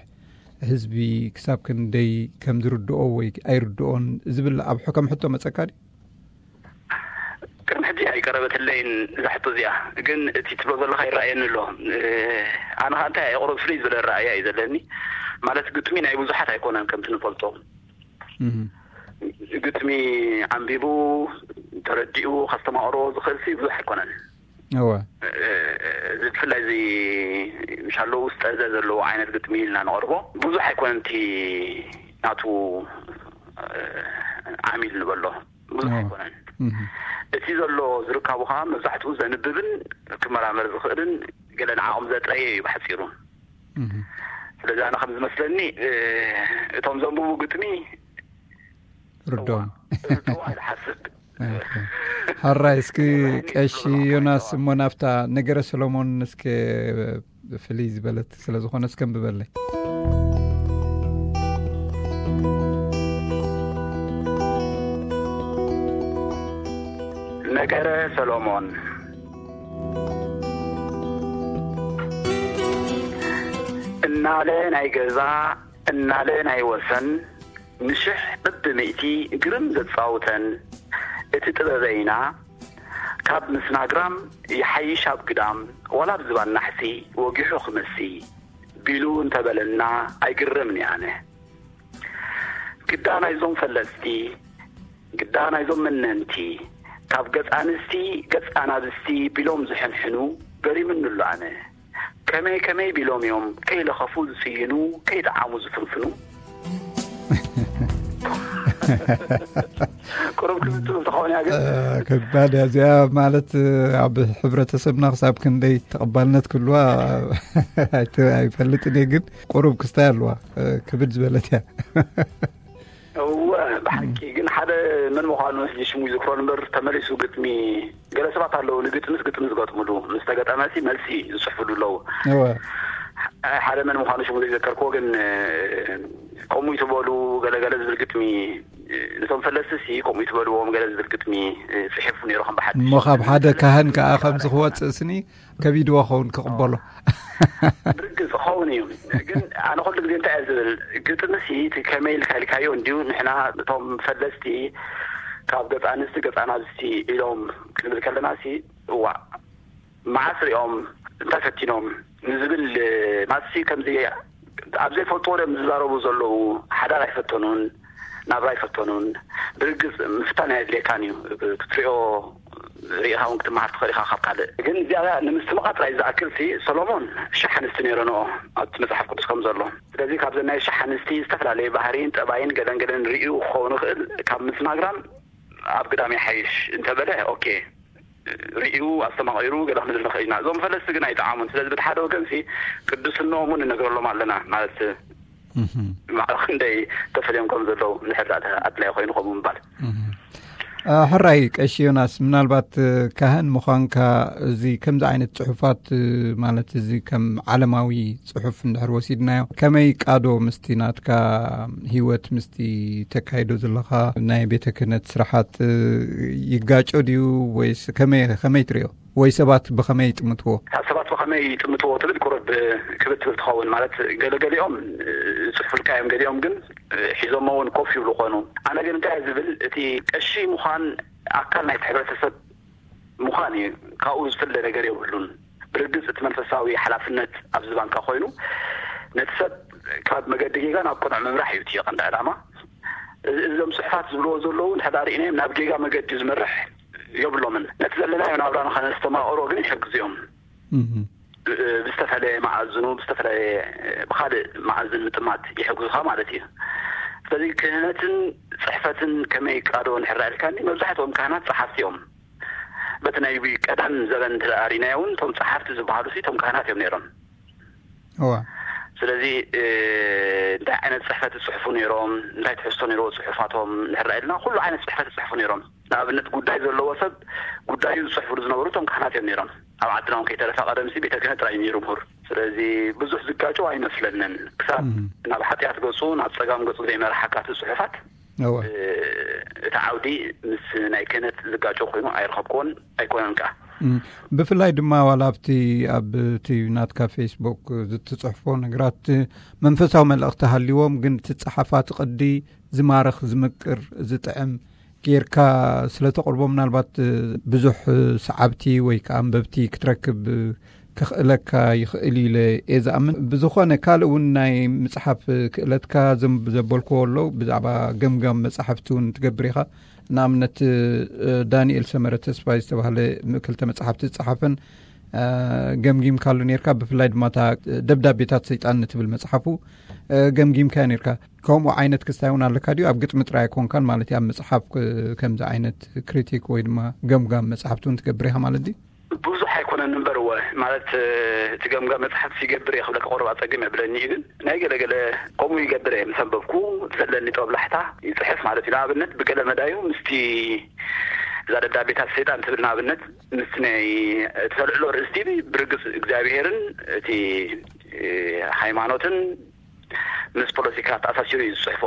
ህዝቢ ክሳብ ክንደይ ከም ዝርድኦ ወይ ኣይርድኦን ዝብል ኣብ ከም ሕቶ መፀካ ድዩ? ቅድሚ ሕጂ ኣይቀረበትለይን እዛ ሕቶ እዚኣ፣ ግን እቲ ትብሎ ዘለካ ይረኣየኒ ኣሎ። ኣነ ከዓ እንታይ ኣየቕርብ ፍልይ ዝበለ ረኣያ እዩ ዘለኒ። ማለት ግጥሚ ናይ ብዙሓት ኣይኮነን ከምቲ ንፈልጦ። ግጥሚ ዓንቢቡ ተረዲኡ ከስተማቕሮ ዝኽእል ሲ ብዙሕ ኣይኮነን። እወ። እዚ ብፍላይ እዚ ምሻሎ ውስጠ ዘ ዘለዎ ዓይነት ግጥሚ ኢልና ንቐርቦ ብዙሕ ኣይኮነን። እቲ ናቱ ዓሚል ንበሎ ብዙሕ ኣይኮነን። እቲ ዘሎ ዝርካቡ ከዓ መብዛሕትኡ ዘንብብን ክመራመር ዝኽእልን ገለ ንዓኦም ዘጥረየ እዩ ብሓፂሩ። ስለዚ ኣነ ከም ዝመስለኒ እቶም ዘንብቡ ግጥሚ ርድኦም ርድኦ ኣይሓስብ። ሓራይ እስኪ ቀሺ ዮናስ እሞ ናብታ ነገረ ሰሎሞን እስኪ ፍልይ ዝበለት ስለ ዝኾነ እስከ ንብበለይ። ነገረ ሰሎሞን እናለ ናይ ገዛ እናለ ናይ ወሰን ንሽሕ ብብሚእቲ ግርም ዘጻውተን እቲ ጥበበይና ካብ ምስናግራም ይሓይሽ ኣብ ግዳም ዋላ ብዝባን ናሕሲ ወጊሑ ክምሲ ቢሉ እንተበለና ኣይግረምን ኣነ። ግዳ ናይዞም ፈለስቲ ግዳ ናይዞም መነንቲ ካብ ገጽ ኣንስቲ ገጽ ኣናብስቲ ቢሎም ዝሕንሕኑ ገሪምኒ ኣሎ ኣነ። ከመይ ከመይ ቢሎም እዮም ከይለኸፉ ዝስይኑ ከይጠዓሙ ዝፍንፍኑ። ቁሩብ ክብል ትብል ተኸውን እያ ግን ከባድ እያ እዚኣ። ማለት ኣብ ሕብረተሰብና ክሳብ ክንደይ ተቐባልነት ክህልዋ ኣይፈልጥን እየ፣ ግን ቁሩብ ክስታይ ኣለዋ ክብድ ዝበለት እያ። እወ ብሓቂ ግን ሓደ መን ምዃኑ ሕጂ ሽሙ ይዝክሮ እምበር ተመሊሱ ግጥሚ ገለ ሰባት ኣለዉ ንግጥምስ ግጥሚ ዝገጥምሉ ምስ ተገጠመሲ መልሲ ዝፅሕፍሉ ኣለዉ። ሓደ መን ምዃኑ ሽሙ ዘይዘከርክዎ ግን ከምኡ ይትበሉ ገለገለ ዝብል ግጥሚ፣ ነቶም ፈለስቲ ሲ ከምኡ ይትበልዎም ገለ ዝብል ግጥሚ ጽሒፉ ነይሩ ከም ብሓድሽ። እሞ ካብ ሓደ ካህን ከዓ ከምዚ ክወፅእ ስኒ ከቢድዎ ኸውን ክቕበሎ። ብርግጽ ኸውን እዩ። ግን ኣነ ኩሉ ግዜ እንታይ እየ ዝብል፣ ግጥሚ ሲ እቲ ከመይ ኢልካ ኢልካዮ እንዲዩ። ንሕና እቶም ፈለስቲ ካብ ገጽ ኣንስቲ ገጽ ኣናብስቲ ኢሎም ክንብል ከለና ሲ እዋ መዓስ ሪኦም እንታይ ፈቲኖም ንዝብል ማሲ ከምዚ ኣብ ዘይፈልጥዎ ዶም ዝዛረቡ ዘለዉ። ሓዳር ኣይፈተኑን፣ ናብራ ኣይፈተኑን። ብርግጽ ምፍታን ኣየድልየካን እዩ። ክትሪኦ ርኢኻ እውን ክትመሃር ትኽእል ኢኻ ካብ ካልእ። ግን እዚኣ ንምስትምቓ ጥራይ ዝኣክል ሲ ሰሎሞን ሽሕ ኣንስቲ ነይረንኦ ኣብቲ መጽሓፍ ቅዱስ ከም ዘሎ። ስለዚ ካብዘን ናይ ሽሕ ኣንስቲ ዝተፈላለየ ባህሪን ጠባይን ገለን ገለን ርእዩ ክኸውን ይኽእል። ካብ ምስናግራም ኣብ ግዳም ይሓይሽ እንተበለ ኦኬ ርእዩ ኣስተማቒሩ ገለ ክንብል ንኽእል ኢና። እዞም ፈለስቲ ግን ኣይጠዓሙን። ስለዚ በቲ ሓደ ወገን ሲ ቅዱስነኦም እውን ንነግረሎም ኣለና ማለት ማዕረ ክንደይ ተፈልዮም ከም ዘለዉ ንድሕር ዳኣ ኣድላይ ኮይኑ ከምኡ ምባል። ሕራይ ቀሺ ዮናስ፣ ምናልባት ካህን ምዃንካ እዚ ከምዚ ዓይነት ጽሑፋት ማለት እዚ ከም ዓለማዊ ጽሑፍ እንድሕር ወሲድናዮ ከመይ ቃዶ ምስቲ ናትካ ህይወት ምስቲ ተካይዶ ዘለኻ ናይ ቤተ ክህነት ስራሓት ይጋጮ ድዩ ወይስ ከመይ ከመይ ትሪኦ? ወይ ሰባት ብኸመይ ይጥምትዎ? ካብ ሰባት ብኸመይ ይጥምትዎ ትብል ቁሩብ ክብድ ትብል ትኸውን። ማለት ገለገሊኦም ዝጽሕፉልካ እዮም፣ ገሊኦም ግን ሒዞሞ እውን ኮፍ ይብሉ ኾኑ። ኣነ ግን እንታይ ዝብል እቲ ቀሺ ምዃን ኣካል ናይቲ ሕብረተሰብ ምዃን እዩ። ካብኡ ዝፍለ ነገር የብሉን። ብርግጽ እቲ መንፈሳዊ ሓላፍነት ኣብ ዝባንካ ኮይኑ ነቲ ሰብ ካብ መገዲ ጌጋ ናብ ቅኑዕ ምምራሕ እዩ እቲ ቀንዲ ዕላማ። እዞም ጽሑፋት ዝብልዎ ዘለዉ እንድሕር ርኢናዮም ናብ ጌጋ መገዲ ዝመርሕ የብሎምን። ነቲ ዘለናዮ ናብራ ንኸነስተማቕሮ ግን ይሕግዙ እዮም። ብዝተፈለየ መኣዝኑ ብዝተፈለየ ብካልእ መኣዝን ምጥማት ይሕግዙኻ ማለት እዩ። ስለዚ ክህነትን ጽሕፈትን ከመይ ይቃዶ እንድሕር ኢልካኒ መብዛሕትኦም ካህናት ጸሓፍቲ እዮም። በቲ ናይ ቀደም ዘበን እንተ ርኢናዮ እውን እቶም ጸሓፍቲ ዝበሃሉ ሲ እቶም ካህናት እዮም ነይሮም። እዋ ስለዚ እንታይ ዓይነት ጽሕፈት ይጽሕፉ ነይሮም፣ እንታይ ትሕዝቶ ነይርዎ ጽሑፋቶም እንድሕር ኢልና ኩሉ ዓይነት ጽሕፈት ይጽሕፉ ነይሮም። ንኣብነት ጉዳይ ዘለዎ ሰብ ጉዳዩ ዝጽሕፉሉ ዝነበሩ እቶም ካህናት እዮም ነይሮም። ኣብ ዓድና እውን ከይተረፈ ቀደምሲ ቤተ ክህነት ጥራይ እዩ ነይሩ ምሁር። ስለዚ ብዙሕ ዝጋጨው ኣይመስለንን። ክሳብ ናብ ሓጢኣት ገጹ ናብ ጸጋም ገጹ ዘይመርሓካ እቲ ጽሑፋት እወ እቲ ዓውዲ ምስ ናይ ክህነት ዝጋጨው ኮይኑ ኣይረኸብክዎን ኣይኮነን ከኣ። ብፍላይ ድማ ዋላ ኣብቲ ኣብ እቲ ናትካ ፌስቡክ ዝትጽሕፎ ነገራት መንፈሳዊ መልእኽቲ ሃልዎም ግን እቲ ጸሓፋቲ ቅዲ ዝማርኽ ዝምቅር ዝጥዕም ጌርካ ስለ ተቕርቦ ምናልባት ብዙሕ ሰዓብቲ ወይ ከዓ ኣንበብቲ ክትረክብ ከኽእለካ ይኽእል ኢለ እየ ዝኣምን። ብዝኾነ ካልእ እውን ናይ ምፅሓፍ ክእለትካ ዘም- ዘበልክዎ ኣሎ። ብዛዕባ ገምጋም መፃሕፍቲ እውን ትገብር ኢኻ። ንኣብነት ዳንኤል ሰመረ ተስፋይ ዝተባህለ ክልተ መፅሓፍቲ ዝፀሓፈን ገምጊምካሉ ነርካ። ብፍላይ ድማ እታ ደብዳቤታት ሰይጣን ንትብል መፅሓፉ ገምጊምካዮ ነርካ። ከምኡ ዓይነት ክስታይ እውን ኣለካ ድዩ? ኣብ ግጥሚ ጥራይ ኣይኮንካን ማለት እዩ፣ ኣብ መፅሓፍ ከምዚ ዓይነት ክሪቲክ ወይ ድማ ገምጋም መፅሓፍቲ እውን ትገብር ኢኻ ማለት ድዩ? ብዙሕ ኣይኮነን እምበር እወ ማለት እቲ ገምጋም መፅሓፍቲ ይገብር እየ ክብለካ ቁሩብ ኣፀግም የብለኒ እዩ። ግን ናይ ገለገለ ከምኡ ይገብር እየ፣ ምስ ኣንበብኩ ዘለኒ ጦብላሕታ ይፅሕፍ ማለት እዩ። ንኣብነት ብገለ መዳዩ ምስቲ እዛ ደብዳቤታት ሰይጣን ትብል ንኣብነት ምስቲ ናይ ተልዕሎ ርእስቲ ብርግፅ እግዚኣብሄርን እቲ ሃይማኖትን ምስ ፖለቲካ ተኣሳሲሩ እዩ ዝፅሕፎ።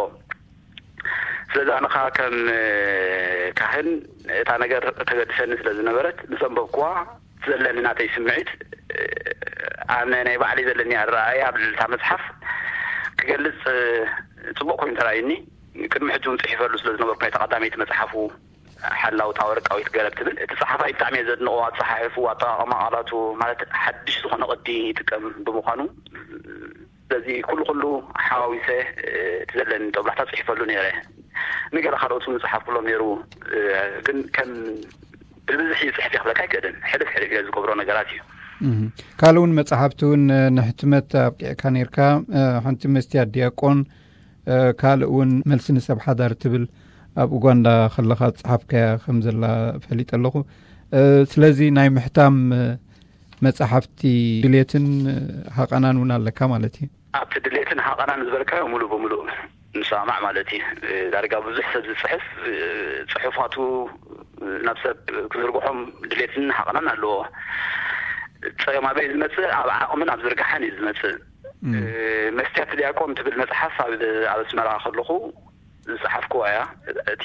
ስለዚ ኣነ ከዓ ከም ካህን እታ ነገር ተገድሰኒ ስለ ዝነበረት ምስ ኣንበብኩዋ ዘለኒ ናተይ ስምዒት ኣነ ናይ ባዕለይ ዘለኒ ኣረኣእያ ኣብ ልዕሊ እታ መፅሓፍ ክገልፅ ፅቡቕ ኮይኑ ተራእዩኒ። ቅድሚ ሕጂ እውን ፅሒፈሉ ስለ ዝነበርኩ ናይታ ቀዳመይቲ መፅሓፉ ሓላውታ ወርቃዊት ገረብ ትብል እቲ ፀሓፋይ ብጣዕሚ እየ ዘድንቆ። ኣፀሓሕፉ፣ ኣጠቃቅማ ቃላቱ ማለት ሓድሽ ዝኾነ ቅዲ ይጥቀም ብምዃኑ ስለዚ ኩሉ ኩሉ ሓዋዊሰ እቲ ዘለኒ ጦብላሕታ ፅሒፈሉ ነይረ። ንገለ ካልኦት እውን ዝፀሓፍኩሎም ነይሩ። ግን ከም ብብዝሒ ይፅሕፍ እየ ክብለካ ኣይክእልን። ሕልፍ ሕልፍ ኢለ ዝገብሮ ነገራት እዩ። ካልእ እውን መፅሓፍቲ እውን ንሕትመት ኣብቂዕካ ነርካ። ሓንቲ መስትያት ዲያቆን ካልእ እውን መልሲ ንሰብ ሓዳር ትብል ኣብ ኡጋንዳ ከለኻ ዝፀሓፍካያ ከም ዘላ ፈሊጠ ኣለኹ። ስለዚ ናይ ምሕታም መፃሕፍቲ ድሌትን ሃቐናን እውን ኣለካ ማለት እዩ። ኣብቲ ድሌትን ሃቐናን ዝበልካዮ ሙሉእ ብሙሉእ ንሰማማዕ ማለት እዩ። ዳርጋ ብዙሕ ሰብ ዝፅሕፍ ፅሑፋቱ ናብ ሰብ ክዝርግሖም ድሌትን ሃቐናን ኣለዎ። ፀገም ኣበይ ዝመፅእ ኣብ ዓቕምን ኣብ ዝርግሓን እዩ ዝመፅእ። መስትያት ዲያቆን ትብል መጽሓፍ ኣብ ኣስመራ ከለኹ ዝጸሓፍኩዋ እያ። እቲ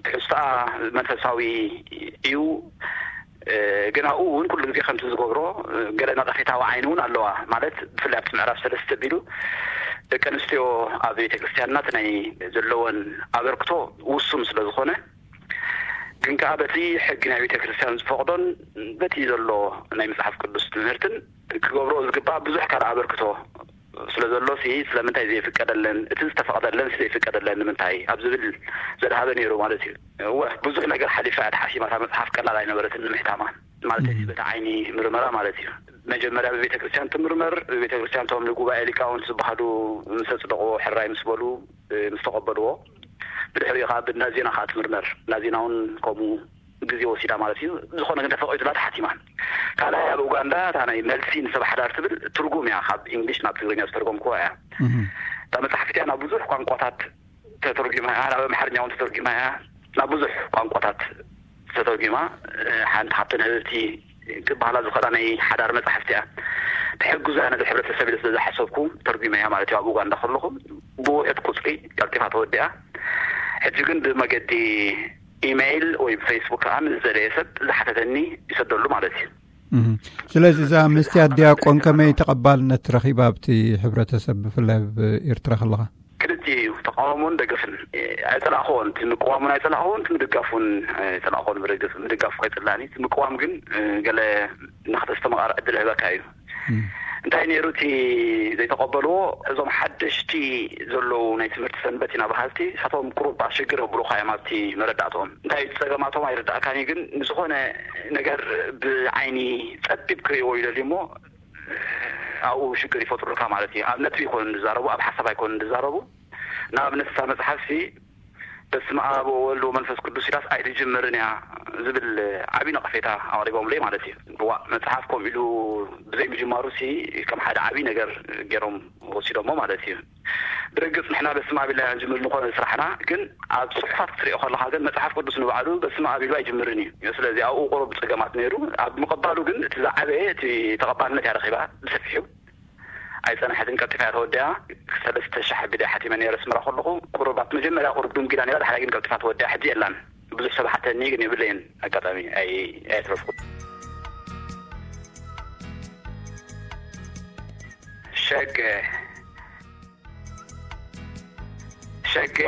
ትሕዝቶኣ መንፈሳዊ እዩ። ግን ኣብኡ እውን ኩሉ ግዜ ከምቲ ዝገብሮ ገለ ነቐፌታዊ ዓይኒ እውን ኣለዋ። ማለት ብፍላይ ኣብቲ ምዕራፍ ሰለስተ ቢሉ ደቂ ኣንስትዮ ኣብ ቤተ ክርስቲያንና እቲ ናይ ዘለወን ኣበርክቶ ውሱን ስለ ዝኾነ፣ ግን ከኣ በቲ ሕጊ ናይ ቤተ ክርስቲያን ዝፈቕዶን በቲ ዘሎ ናይ መጽሓፍ ቅዱስ ትምህርትን ክገብሮ ዝግባእ ብዙሕ ካልእ ኣበርክቶ ስለ ዘሎ ሲ ስለምንታይ ዘይፍቀደለን፣ እቲ ዝተፈቕደለን ሲ ዘይፍቀደለን ንምንታይ ኣብ ዝብል ዘድሃበ ነይሩ ማለት እዩ። እወ፣ ብዙሕ ነገር ሓሊፋ እያ ተሓሲማ። እታ መጽሓፍ ቀላል ኣይነበረትን ንምሕታማ ማለት እዩ። በቲ ዓይኒ ምርመራ ማለት እዩ። መጀመርያ ብቤተ ክርስቲያን ትምርመር። ብቤተ ክርስቲያን እቶም ንጉባኤ ሊቃውንት ዝበሃሉ ምስ ኣጽደቕዎ፣ ሕራይ ምስ በሉ፣ ምስ ተቐበልዎ፣ ብድሕሪኡ ከዓ ብናዜና ከዓ ትምርመር። ናዜና እውን ከምኡ ግዜ ወሲዳ ማለት እዩ። ዝኾነ ግን ተፈቒዱላ ተሓቲማ። ካልኣይ ኣብ ኡጋንዳ እታ ናይ መልሲ ንሰብ ሓዳር ትብል ትርጉም እያ፣ ካብ እንግሊሽ ናብ ትግርኛ ዝተርጎምክዋ እያ። እታ መጽሓፍ እቲኣ ናብ ብዙሕ ቋንቋታት ተተርጒማ እያ፣ ናብ ኣምሓርኛ እውን ተተርጒማ እያ፣ ናብ ብዙሕ ቋንቋታት ተተርጒማ። ሓንቲ ካብተን ህብብቲ ክበሃላ ዝኽእላ ናይ ሓዳር መጽሓፍቲ እያ። ተሕግዞ እያ ነዚ ሕብረተሰብ ኢለ ስለ ዝሓሰብኩ ተርጒመ እያ ማለት እዩ። ኣብ ኡጋንዳ ከለኹ ብውሑድ ቁጽሪ ቀልጢፋ ተወዲኣ። ሕጂ ግን ብመገዲ ኢሜይል ወይ ብፌስቡክ ከዓ ምስ ዝደለየ ሰብ ዝሓተተኒ ይሰደሉ ማለት እዩ። እህ። ስለዚ እዛ መስትያት ዲያቆን ከመይ ተቐባልነት ረኺባ ኣብቲ ሕብረተሰብ፣ ብፍላይ ኣብ ኤርትራ ከለኻ? ክልቲኡ እዩ፣ ተቃውሞን ደገፍን። ኣይጸላእኽዎን፣ እቲ ምቅዋሙን ኣይጸላእኽዎን፣ እቲ ምድጋፉን ኣይጸላእኽዎን። ብርግጽ ምድጋፉ ከይጽላእኒ፣ እቲ ምቅዋም ግን ገለ ንኽተስተማቓር ዕድል ይህበካ እዩ። እንታይ ነይሩ እቲ ዘይተቐበልዎ? እዞም ሓደሽቲ ዘለዉ ናይ ትምህርቲ ሰንበት ኢና በሃልቲ፣ ንሳቶም ቁሩብ ኣሸግር የብሉኻ እዮም ኣብቲ መረዳእትኦም። እንታይ እዩ ጸገማቶም ኣይርዳእካን እዩ፣ ግን ንዝኾነ ነገር ብዓይኒ ጸቢብ ክርእይዎ ይደልዩ እሞ ኣብኡ ሽግር ይፈጥሩልካ ማለት እዩ። ኣብ ነጥቢ ኣይኮኑን ዝዛረቡ፣ ኣብ ሓሳብ ኣይኮኑን ዝዛረቡ። ንኣብነት እታ መጽሓፍሲ በስመ ኣብ ወወልድ ወመንፈስ ቅዱስ ኢላስ ኣይትጅምርን እያ ዝብል ዓብዪ ነቐፌታ ኣቕሪቦምለይ ማለት እዩ። ዋእ፣ መጽሓፍ ከምኡ ኢሉ ብዘይምጅማሩሲ ከም ሓደ ዓብዪ ነገር ገይሮም ወሲዶሞ ማለት እዩ። ብርግጽ ንሕና በስመ ኣብ ኢልና ኢና ንጅምር ዝኾነ ስራሕና፣ ግን ኣብ ጽሑፋት ክትሪኦ ከለኻ ግን መጽሓፍ ቅዱስ ንባዕሉ በስመ ኣብ ኢሉ ኣይጅምርን እዩ። ስለዚ ኣብኡ ቁሩብ ጸገማት ነይሩ። ኣብ ምቕባሉ ግን እቲ ዝዓበየ እቲ ተቐባልነት እያ ረኺባ ብሰፊሑ። ኣይጸንሐትን፣ ቀልጢፋ እያ ተወዲኣ። ሰለስተ ሺሕ ኣቢለ ሓቲመ ነይረ ኣስመራ ከለኹ። ቁሩብ ኣብቲ መጀመርያ ቁሩብ ድንጉያ ነይራ፣ ድሓር ግን ቀልጢፋ ተወዲኣ። ሕጂ የላን። ብዙሕ ሰብ ሓተኒ ግን የብለይን። ኣጋጣሚ ኣይ-፣ ኣየትረፍኩን። ሸገ፣ ሸገ፣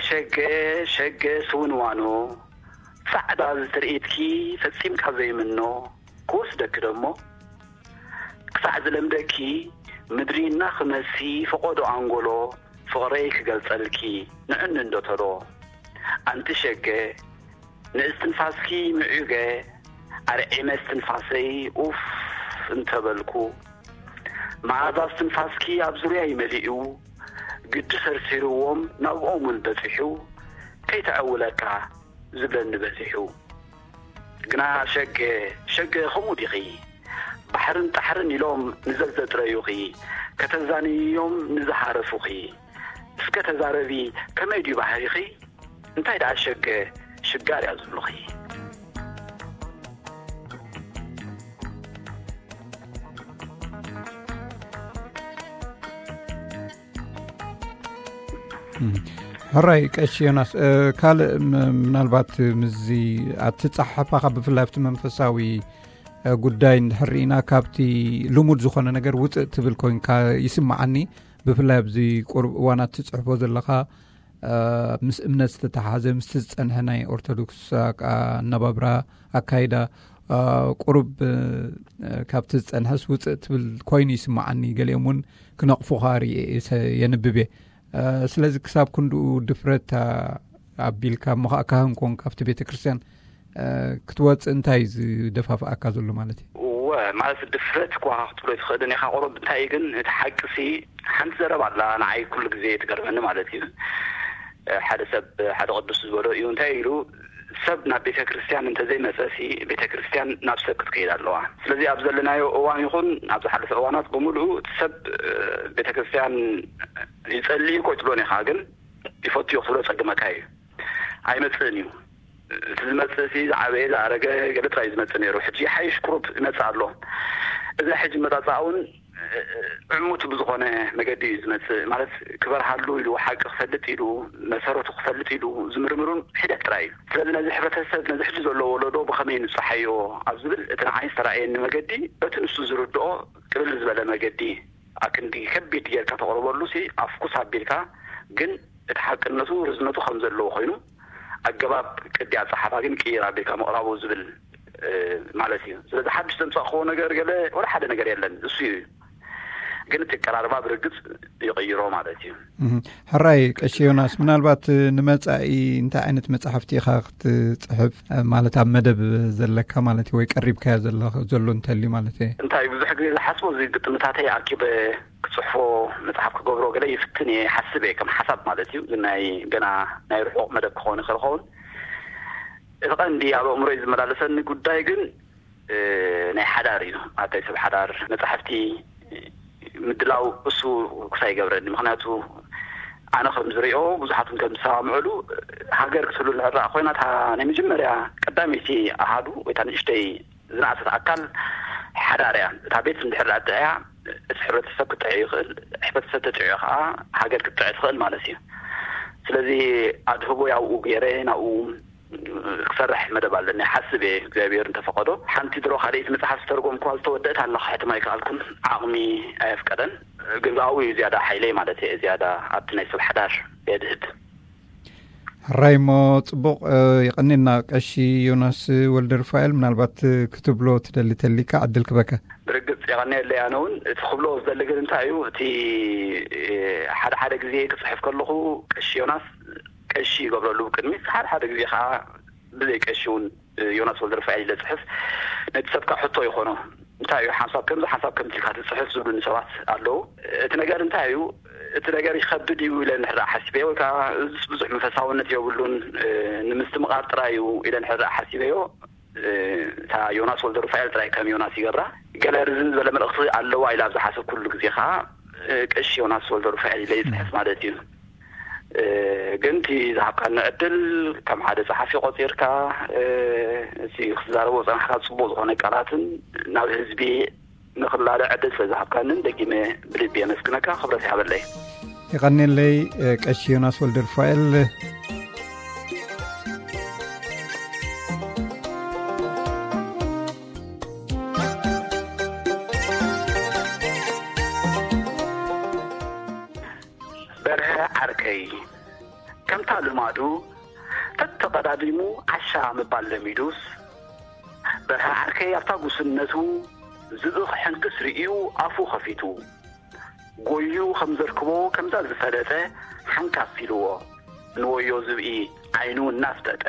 ሸገ፣ ሸገ ስውንዋኖ፣ ጻዕዳ እዚ ትርኢትኪ ፈጺምካ ዘይምኖ ክወስደኪ ደሞ፣ ክሳዕ ዝለምደኪ ምድሪ እናኽመሲ ፈቖዶ ኣንጎሎ ፍቕረይ ክገልጸልኪ ንዕኒ እንዶ ተሎ። ኣንቲ ሸገ፣ ንእስትንፋስኪ ምዕዩገ ኣርዒመ እስትንፋሰይ ኡፍ እንተበልኩ፣ መኣዛ እስትንፋስኪ ኣብ ዙርያይ መሊኡ፣ ግዲ ሰርሲርዎም ናብኦም እውን በጺሑ፣ ከይተዐውለካ ዝብለኒ በዚሑ። ግና ሸገ፣ ሸገ ከምኡ ዲኺ? ባሕርን ጣሕርን ኢሎም ንዘዘጥረዩኺ፣ ከተዛንይዮም ንዝሃረፉኺ። እስከ ተዛረቢ፣ ከመይ ድዩ ባህሪኺ? እንታይ ደኣ ሸገ ሽጋር እያ ዝብሉኺ? እም፣ ሕራይ ቀሺ ዮናስ፣ እ፣ ካልእ ም-፣ ምናልባት ምስዚ ኣትጻሓሕፋኻ ብፍላይ ኣብቲ መንፈሳዊ፣ እ፣ ጉዳይ እንድሕር ርኢና ካብቲ ልሙድ ዝኾነ ነገር ውጽእ ትብል ኮይንካ ይስምዓኒ። ብፍላይ ኣብዚ ቁሩብ እዋናት ትጽሕፎ ዘለኻ፣ እ፣ ምስ እምነት ዝተተሓሓዘ ምስቲ ዝጸንሐ ናይ ኦርቶዶክስ ኣቃ-፣ ኣነባብራ፣ ኣካይዳ፣ እ፣ ቁሩብ፣ እ፣ ካብቲ ዝጸንሐስ ውጽእ ትብል ኮይኑ ይስምዓኒ። ገሊኦም እውን ክነቕፉኻ ርእየ፣ የንብብ እየ። እ፣ ስለዚ ክሳብ ክንድኡ ድፍረት ኣቢልካ እሞ ኸዓ ካህን ኮንካ ኣብቲ ቤተ ክርስቲያን፣ እ፣ ክትወጽእ እንታይ እዩ ዝደፋፍኣካ ዘሎ ማለት እዩ? እወ፣ ማለት ድፍረት እኳ ክትብሎ ኣይትኽእልን ኢኻ። ቁሩብ እንታይ እዩ ግን እቲ ሓቂ ሲ ሓንቲ ዘረባ ኣላ ንዓይ ኩሉ ግዜ ትገርመኒ ማለት እዩ። እ፣ ሓደ ሰብ ሓደ ቅዱስ ዝበሎ እዩ። እንታይ ኢሉ፣ ሰብ ናብ ቤተ ክርስቲያን እንተዘይመጸ ሲ ቤተ ክርስቲያን ናብ ሰብ ክትከይድ ኣለዋ። ስለዚ ኣብ ዘለናዮ እዋን ይኹን ኣብ ዝሓለፈ እዋናት ብምሉኡ እቲ ሰብ፣ እ፣ ቤተ ክርስቲያን ይጸሊ እኮ ኣይትብሎን ኢኻ፣ ግን ይፈቱ እዮ ክትብሎ ጸግመካ እዩ። ኣይመጽእን እዩ። እቲ ዝመጽእ ሲ ዝዓበየ ዝኣረገ ገለ ጥራይ እዩ ዝመጽእ ነይሩ። ሕጂ ይሓይሽ ቁሩብ ይመጽእ ኣሎ። እዚ ሕጂ መጻጽኣ እውን ዕሙት ብዝኾነ መገዲ እዩ ዝመጽእ። ማለት፣ ክበርሃሉ ኢሉ፣ ሓቂ ክፈልጥ ኢሉ፣ መሰረቱ ክፈልጥ ኢሉ ዝምርምሩን ሒደት ጥራይ እዩ። ስለዚ ነዚ ሕብረተሰብ፣ ነዚ ሕጂ ዘሎ ወለዶ ብኸመይ ንጽሓዮ ኣብ ዝብል፣ እቲ ንዓይ ዝተራእየኒ መገዲ፣ በቲ ንሱ ዝርድኦ ቅልል ዝበለ መገዲ፣ ኣክንዲ ከቢድ ጌርካ ተቕርበሉ ሲ ኣፍኩስ ኣቢልካ፣ ግን እቲ ሓቅነቱ ርዝነቱ ከም ዘለዎ ኮይኑ፣ ኣገባብ ቅዲ ኣጸሓፋ ግን ቅይር ኣቢልካ ምቕራቡ ዝብል ማለት እዩ። ስለዚ ሓድሽ ዘምጻእክዎ ነገር ገለ ወላ ሓደ ነገር የለን፣ እሱ እዩ። ግን እቲ ኣቀራርባ ብርግጽ ይቕይሮ ማለት እዩ። ሕራይ ቀሺ ዮናስ፣ ምናልባት ንመጻኢ እንታይ ዓይነት መጻሕፍቲ ኢኻ ክትጽሕፍ፣ ማለት ኣብ መደብ ዘለካ ማለት እዩ፣ ወይ ቀሪብካዮ ዘሎ እንተልዩ ማለት እየ? እንታይ ብዙሕ ግዜ ዝሓስቦ፣ እዚ ግጥምታተይ ኣኪበ ክጽሕፎ፣ መጽሓፍ ክገብሮ ገለ ይፍትን እየ፣ ሓስብ እየ፣ ከም ሓሳብ ማለት እዩ። ግን ናይ ገና ናይ ርሑቕ መደብ ክኸውን ይኽእል ይኸውን። እቲ ቀንዲ ኣብ ኣእምሮይ ዝመላለሰኒ ጉዳይ ግን ናይ ሓዳር እዩ። ኣታይ ሰብ ሓዳር መጻሕፍቲ ምድላው እሱ ክሳይ ይገብረኒ። ምኽንያቱ ኣነ ከም ዝሪኦ፣ ብዙሓትን ከም ዝሰማምዕሉ፣ ሃገር ክትህሉ እንድሕር ኮይና፣ እታ ናይ መጀመርያ ቀዳመይቲ ኣሃዱ ወይ እታ ንእሽተይ ዝነኣሰት ኣካል ሓዳር እያ። እታ ቤት እንድሕር ኣጥዕያ፣ እቲ ሕብረተሰብ ክጥዕ ይኽእል። ሕብረተሰብ ተጥዕዮ ከዓ ሃገር ክትጥዕ ትኽእል ማለት እዩ። ስለዚ ኣድህቦ ያውኡ ገይረ ናብኡ ክሰርሕ መደብ ኣለኒ፣ ሓስብ እየ፣ እግዚኣብሔር እንተፈቐዶ። ሓንቲ ድሮ ካልኣይቲ መጽሓፍ ዝተርጎምኩዋ ዝተወደእት ኣላ፣ ክሕትማ ኣይከኣልኩን፣ ዓቕሚ ኣየፍቀደን። ግን ኣብኡ እዩ ዝያዳ ሓይለይ ማለት እየ፣ ዝያዳ ኣብቲ ናይ ሰብ ሓዳር የድህብ። ሕራይ እሞ፣ ጽቡቕ፣ የቐኔልና ቀሺ ዮናስ ወልደ ሩፋኤል። ምናልባት ክትብሎ ትደሊ ተሊካ ዕድል ክበካ። ብርግጽ የቐኔለይ። ኣነ እውን እቲ ክብሎ ዝደሊ ግን እንታይ እዩ፣ እቲ ሓደ ሓደ ግዜ ክጽሕፍ ከለኹ፣ ቀሺ ዮናስ ቀሺ ይገብረሉ ቅድሚት፣ ሓደ ሓደ ግዜ ከዓ ብዘይ ቀሺ እውን ዮናስ ወልደ ሩፋኤል ኢለ ጽሕፍ፣ ነቲ ሰብካ ሕቶ ይኾኖ። እንታይ እዩ ሓንሳብ ከምዚ ሓንሳብ ከምዚ ኢልካ ትጽሕፍ ዝብሉኒ ሰባት ኣለዉ። እቲ ነገር እንታይ እዩ፣ እቲ ነገር ይኸብድ እዩ ኢለ እንድሕር ሓሲበዮ፣ ወይ ከዓ እዚስ ብዙሕ መንፈሳውነት የብሉን፣ ንምስትምቓር ጥራይ እዩ ኢለ እንድሕር ሓሲበዮ፣ እታ ዮናስ ወልደ ሩፋኤል ጥራይ ከም ዮናስ ይገብራ። ገለ ርዝን ዝበለ መልእኽቲ ኣለዋ ኢለ ኣብ ዝሓሰብኩሉ ግዜ ከዓ ቀሺ ዮናስ ወልደ ሩፋኤል ኢለ ይጽሕፍ ማለት እዩ። ግን እቲ ዝሃብካኒ ዕድል ከም ሓደ ጸሓፊ ቆጺርካ፣ እቲ ክትዛረቦ ዝጸናሕካ ጽቡቕ ዝኾነ ቃላትን ናብ ህዝቢ ንኽላለ ዕድል ስለ ዝሃብካንን ደጊመ ብልቢ የመስግነካ። ክብረት ይሃበለይ። የቐኔለይ ቀሺ ዮናስ ወልደ ሩፋኤል። በርሀ ዓርከይ፣ ከምታ ልማዱ ተተቐዳዲሙ ዓሻ ምባል ለሚዱስ፣ በርሀ ዓርከይ ኣብታ ጉስነቱ ዝብኢ ክሕንክስ ርእዩ ኣፉ ኸፊቱ፣ ጎዩ ከም ዘርክቦ ከምዛ ዝፈለጠ ሓንካስ ኢልዎ፣ ንወዮ ዝብኢ ዓይኑ እናፍጠጠ።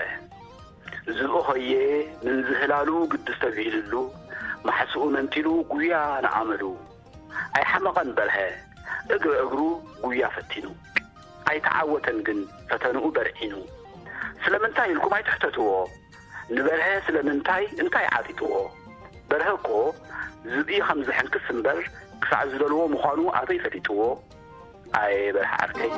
ዝብኢ ኾየ ምንዝህላሉ ግዲ ዝተብሂልሉ፣ ማሕስኡ መንጢሉ ጉያ ንኣመሉ። ኣይሓመቐን በርሀ፣ እግሪ እግሩ ጉያ ፈቲኑ። ኣይተዓወተን ግን ፈተንኡ በርዒኑ። ስለምንታይ ኢልኩም ኣይትሕተትዎ። ንበርሀ ስለምንታይ እንታይ ዓጢጥዎ? በርሀ እኮ ዝብኢ ከም ዝሕንክስ እምበር ክሳዕ ዝደልዎ ምዃኑ ኣበይ ፈሊጥዎ? ኣየ በርሀ ዓርከይ።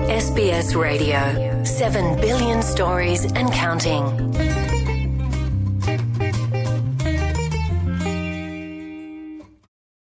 S B S Radio, seven billion stories and counting.